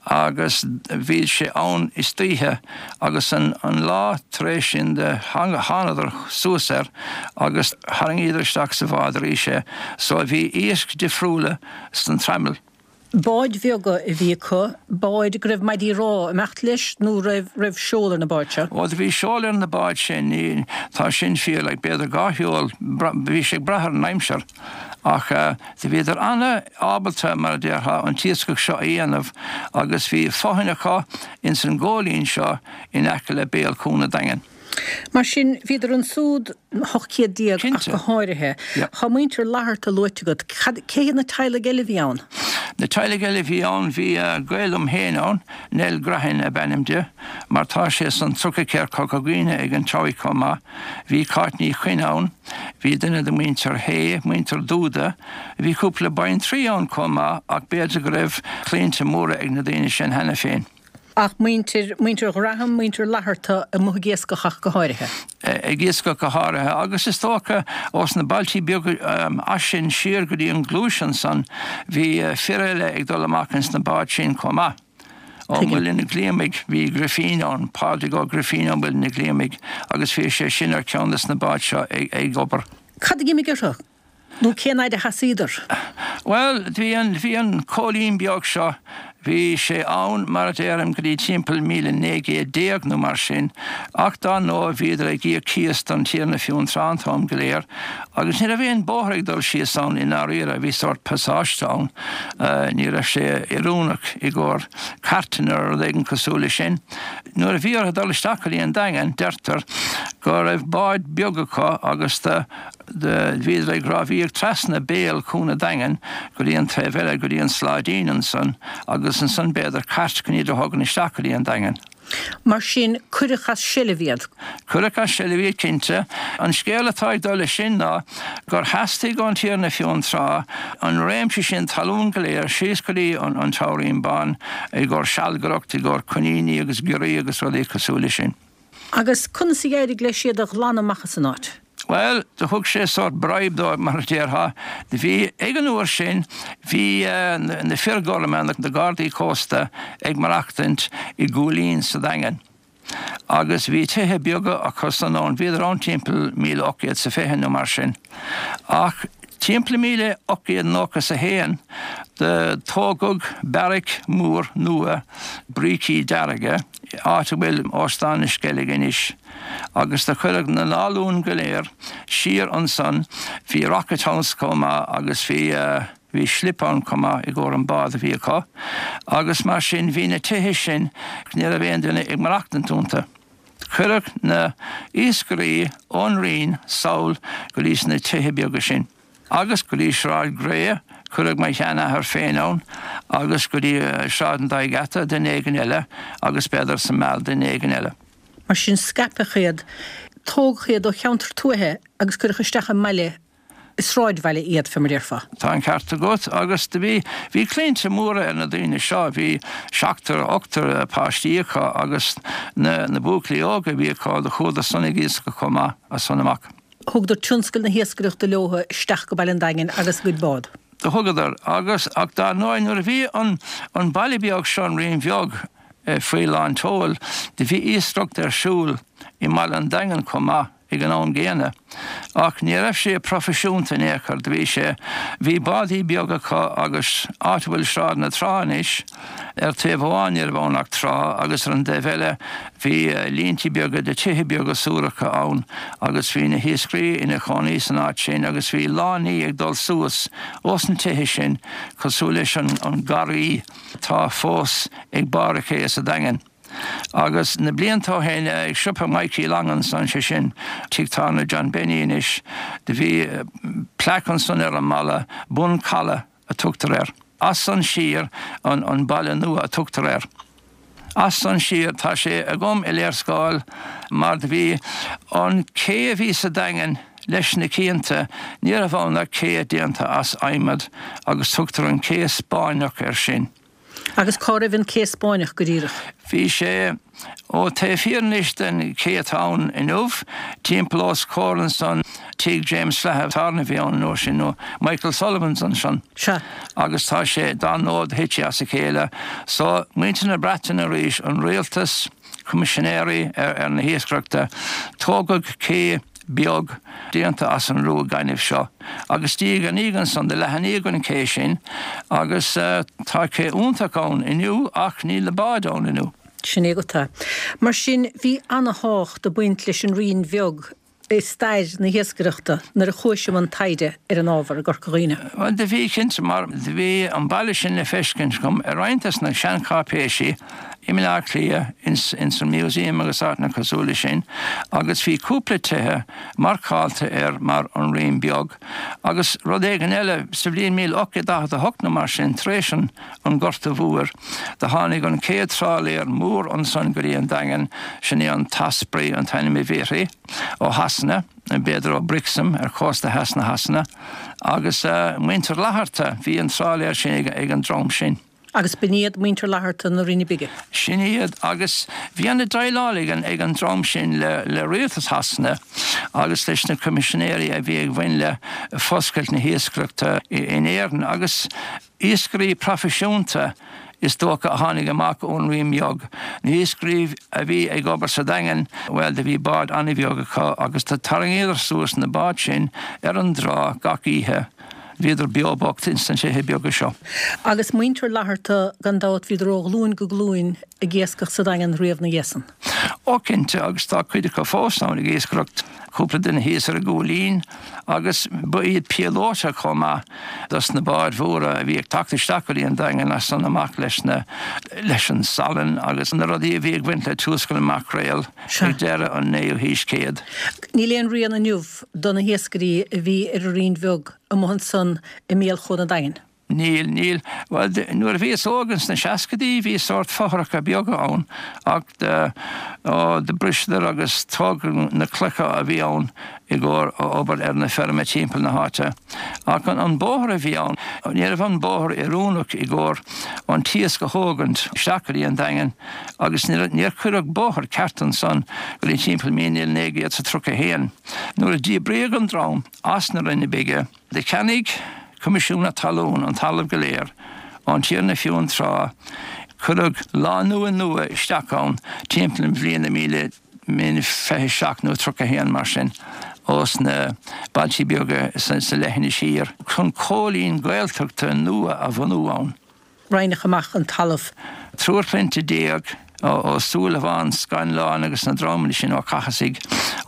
agus bhí sé ann istoíche agus an lá tar éis sin do thánadar suas air agus tharraingíodar isteach sa bhád arís é so bhí iasc difriúla san traimil. Báid bheaga a bhí acu, báid go raibh maidí rámha ag imeacht leis nó raibh raibh seol ar na báid seo? Ó do bhí seol ar na báid sin, ní, tá sin fíor like b'fhéidir dhá sheol, bhí sé ag brath ar an aimsir. Ach do bhíodar ana-ábalta, mar a déarfá, an t-iascach seo a dhéanamh agus bhí fothain acu ins an góilín seo in aice le béal Cuan a' Daingin. Mar sin, bhíodar ansúd 18 céad ach go háirithe. Tá muintir Fhlatharta luaite agat. Cad, cé hiad na teaghlaigh eile a bhí ann? Na teaghlaigh eile a bhí ann, bhí gaol liom féin ann, Nell Grehan ab ainm di, mar tá sé san Trucaí Corca Dhuibhne ag an Treabhaigh chomh maith. Bhí Cáit Ní Chuinn ann, bhí duine de mhuintir Shé, muintir Dúda, bhí cúpla baintrí ann chomh maith ach b'fhéidir go raibh claimhte móra ag na daoine sin cheana féin. Ach muintir, muintir Ghraham, muintir Fhlatharta amuigh ag iascach ach go háirithe. Ag iascach go háirithe agus is dócha ós na bailtí beaga as sin siar go dtí an Ghluais ansan bhí fir eile ag dul amach ins na báid sin chomh maith. Ó Mhuileann an Ghlíomaigh bhí Grifín ann, Pádraig Ó Grifín ó Mhuileann an Ghlíomaigh agus bhí sé sin ar cheann des na báid seo ag obair. Cad a d'imigh orthu? Nó cén fhaid a sheasaíodar? Bhuel, bhí an, bhí an Cóilín beag seo, bhí sé ann, mar a déarfainn, go dtí timpeall 1900 nó mar sin, ach dár ndóigh bhíodar ag íoc cíos don Tiarna Fionntrá an t-am go léir, agus ní raibh aon bóthar ag dul síos ann i ndáiríre, bhí sórt pasáiste ann, ní raibh sé oiriúnach i gcomhair cairteanna nó rud éigin cosúil leis sin. Nuair a bhí orthu dul isteach go dtí an Daingean, deirtear go raibh báid beag acu agus do, Bhíodar ag rámhaíocht trasna béal Chuan a' Daingin go dtí an taobh eile, go dtí an Sláidín ansan, agus ansan b'fhéidir cairt chun iad a thógaint isteach go dtí an Daingean. Mar sin, cuireadh as seilbh iad. Cuireadh as seilbh iad, cinnte. An scéal atá ag dul leis sin ná gur theastaigh ón Tiarna Fionntrá an réimse sin talún go léir síos go dtí an Teamhairín Bán i gcomhair sealgaireacht, i gcomhair coiníní agus giorriacha agus rudaí cosúil leis sin. Agus conas a d'éirigh leis iad a ghlanadh amach as an áit? Bhuel, do thug sé sórt bribe dóibh, mar a déarfá. Do bhí, ag an uair sin, bhí na fir gorma, na gardaí cósta, ag maireachtaint i gCúilín sa Daingean. Agus bhí tithe beaga acu san ann, bhíodar ann timpeall 1820 nó mar sin. Ach timpeall 1891 do tógadh beairic mór nua brící dearga, áit a bhfuil Óstán na Sceilge anois, agus do cuireadh na lálúin go léir siar ansan, bhí Rocket House chomh maith agus bhí, bhí slip ann chomh maith i gcomhair an bád a bhí acu, agus mar sin bhí na tithe sin, ní raibh aon duine ag maireachtaint iontu. Cuireadh na iascairí ón Rinn sall go dtí sna tithe beaga sin. Agus go dtí Sráid Gray, cuireadh mo sheanathair féin ann, agus go dtí Sráid an Dá Gheata, duine éigin eile, agus b'fhéidir sa Meal, duine éigin eile. Mar sin scaipeadh iad, tógadh iad ó cheantar tuaithe agus cuireadh isteach i mbaile, i sráidbhaile iad, fé mar déarfá. Tá an ceart agat, agus do bhí, bhí claimhte móra ar na daoine seo, bhí seachtar, ochtar páistí acu agus na, na buachaillí óga a bhí acu, do chuadar san ag iascach chomh maith as san amach. Thugadar tionscal na hiascaireachta leo isteach go Baile an Daingin agus a gcuid bád. Do thugadar, agus, ach dar ndóigh nuair a bhí an, an baile beag seo, an Rinn Bheag, faoi lán tseoil, do bhí iascaireacht ar siúl i mBaile an Daingin chomh maith. ag an am gcéanna. Ach ní raibh sé proifisiúnta in aon chor, do bhí sé, bhí bádaí beaga acu agus áit a bhfuil Sráid na Trá anois, ar taobh amháin ní raibh ann ach trá agus ar an dtaobh eile bhí líntí beaga de tithe beaga suaracha ann agus bhí na hiascairí ina chónaí san áit sin agus bhí lánaí ag dul suas ós na tithe sin cosúil leis an garraí atá fós ag barr an ché sa Daingean. Agus na blianta ó shin, ag siopa Mikey Long ansan, sé sin tigh tábhairne John Benny anois, do bhí plaic ansan ar an mballa, Bun Calaidh a tugtar air. As san siar, an Baile Nua a tugtar air. As san siar, tá sé agam i léarscáil mar do bhí an cé a bhí sa Daingean leis na cianta, ní raibh ann ach cé déanta as adhmad agus tugtar an cé Spáinneach air sin. Agus cá raibh an cé Spáinneach go díreach? Bhí sé ó taobh thiar anois den ché atá ann inniu, timpeall os comhair ansan tigh James Flatharta a bhí ann an uair sin, nó Michael Sullivan's ansan. Sea. Agus tá sé, dar ndóigh, thit sé as a chéile. So, muintir na Breataine arís, an rialtas, coimisinéirí ar na hiascaireachta, tógadh cé beag déanta as an rua gainimh seo agus diaidh ar ndiaidh ansan do leathnaíodh an cé sin agus tá cé iontach ann inniu ach níl na báid ann inniu. Sin é agat é. Mar sin bhí ana-thábhacht ag baint leis an Rinn Bheag i stair na hiascaireachta nuair a chuais i mbun taighde ar an ábhar i gCorca Dhuibhne. Bhuel do bhí cinnte mar do bhí an baile sin le feiscint agam i roinnt des na seancháipéisí. i mBaile Átha Cliath ins an Museum agus áiteanna cosúil leis sin agus bhí cúpla tithe marcáilte air mar An Rinn Beag agus rud éigin eile, sa bhliain 1848 nó mar sin, tar éis an an Gorta Mhóir, do tháinig an chéad trálaer mór ansan go dtí an Daingean, sin é an tOsprey an t-ainm a bhí uirthi, ó Shasana, b'fhéidir ó Brixham ar chósta theas na Shasana, agus muintir Fhlatharta, bhí an trálaer sin ag an dream sin. Agus b'in iad muintir Fhlatharta na Rinne Bige. Sin iad, agus bhí ana-dhéileáil ag an dream sin le rialtas Shasana agus leis na coimisinéirí a bhí ag bhain le foscailt na hiascaireachta in Éirinn, agus iascairí proifisiúnta is dócha a tháinig amach ón Rinn Bheag. Na hiascairí a bhí ag obair sa Daingean, bhuel, do bhí báid an-bheag acu agus do tarraingíodar suas na báid sin ar an dtrá gach oíche. Bhíodar beo bocht ins na tithe beaga seo. Agus muintir Fhlatharta, gan dabht, bhíodar ó ghlúin go glúin ag iascach sa Daingean riamh 'na dhiaidh san. Ó cinnte, agus tá cuid acu fós ann ag iascaireacht, cúpla duine thíos ar an gCúilín, agus ba iad píolóta chomh maith dos na báid mhóra a bhí ag teacht isteach go dtí an Daingean as san amach leis na, leis an salann agus na rudaí a bhí ag baint le tiúscal na maicréal ag deireadh an naoú haois céad. Níl aon rian inniu do na hiascairí a bhí ar an Rinn Bheag amuigh ansan i mbéal Chuan an Daingin. Níl, níl. Bhuel, nuair a bhíos óg ins na seascaidí bhí sórt fothracha beaga ann ach do, ó, do briseadar agus tógadh na clocha a bhí ann i gcomhair obair ar na feirme timpeall na háite. Ach an, an bóthar a bhí ann, ní raibh an bóthar oiriúnach i gcomhair an t-iasc a thógaint isteach go dtí an Daingean agus níor, níor cuireadh bóthar ceart ansan go dtí timpeall 1931. Nuair a díbríodh an dream as na Rinne Bige, Do cheannaigh Coimisiún na Talún an talamh go léir ón Tiarna Fionntrá. Cuireadh lánúin nua isteach ann timpeall na bliana 1927 nó 31 mar sin, ós na bailtí beaga sa leithinis thiar, chun cóilín Gaeltachta nua a bhunú ann. Roinneadh amach an talamh. Triúr clainne Ó Súilleabháin, Scanláin agus na dreamanna sin, Ó Cathasaigh,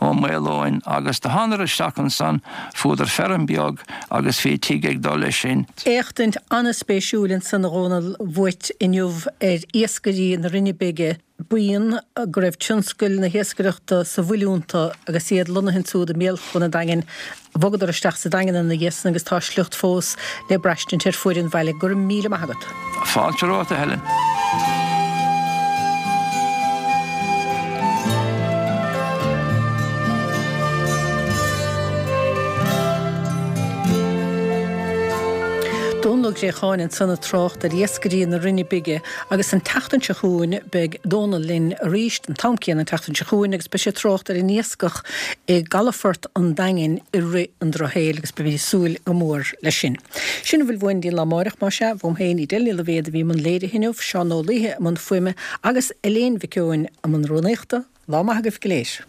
Ó Maoileoin agus do thánadar isteach ansan, fuadar feirm beag agus bhí tigh ag dul leis sin. Éachtaint an-spéisiúil ansan a Dhónaill uait inniu ar iascairí na Rinne Bige. Buíon go raibh tionscail na hiascaireachta sa bhfuil iontu agus iad lonnaithe ansúd i mbéal Chuan an Daingin. Bhogadar isteach sa Daingean ina dhiaidh san agus tá a sliocht fós le braistint ar fuaid an bhaile. Go raibh míle maith agat. Fáilte romhat, a Helen. Dónal Ó Préacháin ansan ag trácht ar iascairí na Rinne Bige Agus an tseachtain seo chugainn beidh Dónal linn arís an t-am céanna an tseachtain seo chugainn agus beidh sé ag trácht ar an iascach i gcalafort an Daingin i rith an drochshaoil agus beimid ag súil go mór leis sin. Sin a bhfuil uainn go dtí an lá amáireach, más ea, uaim féin, Edel Ní Loibhéad a bhí i mbun léirithe inniu, Seán Ó Laoithe i mbun fuaime agus Elaine Mhic Eoin i mbun rúnaíochta. Lá maith agaibh go léir.